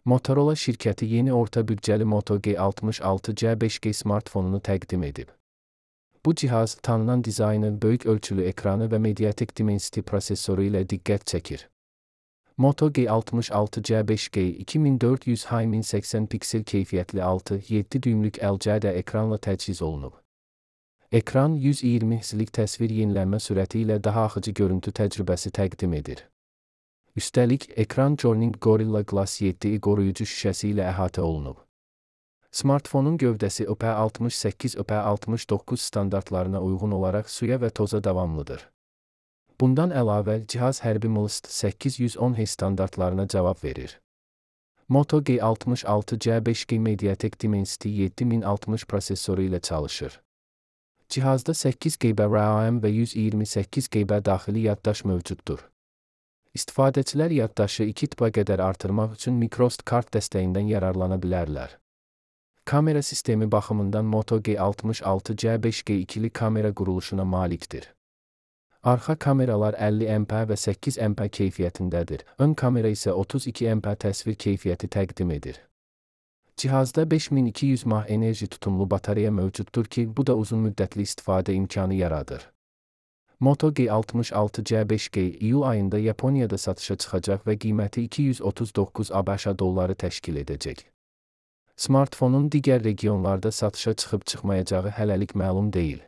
Motorola şirkəti yeni orta büdcəli Moto G66C5G smartfonunu təqdim edib. Bu cihaz, tanınan dizaynı, böyük ölçülü ekranı və Mediatek Dimensity prosesoru ilə diqqət çəkir. Moto G66C5G 2400x1080 piksel keyfiyyətli 6,7 düymlük LCD ekranla təchiz olunub. Ekran 120 Hz-lik təsvir yenilənmə sürəti ilə daha axıcı görüntü təcrübəsi təqdim edir. Üstəlik, ekran Corning Gorilla Glass 7i qoruyucu şüşəsi ilə əhatə olunub. Smartfonun gövdəsi IP68, IP69 standartlarına uyğun olaraq suya və toza davamlıdır. Bundan əlavə, cihaz hərbi MLST 810H standartlarına cavab verir. Moto G66C5G Mediatek Dimensity 7060 prosesoru ilə çalışır. Cihazda 8 GB RAM və 128 GB daxili yaddaş mövcuddur. İstifadəçilər yaddaşı 2 TB qədər artırmaq üçün microSD kart dəstəyindən yararlana bilərlər. Kamera sistemi baxımından Moto G66C5G ikili kamera quruluşuna malikdir. Arxa kameralar 50 MP və 8 MP keyfiyyətindədir. Ön kamera isə 32 MP təsvir keyfiyyəti təqdim edir. Cihazda 5200 mAh enerji tutumlu batareya mövcuddur ki, bu da uzun müddətli istifadə imkanı yaradır. Moto G66C5G iyul ayında Yaponiyada satışa çıxacaq və qiyməti 239 ABŞ dolları təşkil edəcək. Smartfonun digər regionlarda satışa çıxıb-çıxmayacağı hələlik məlum deyil.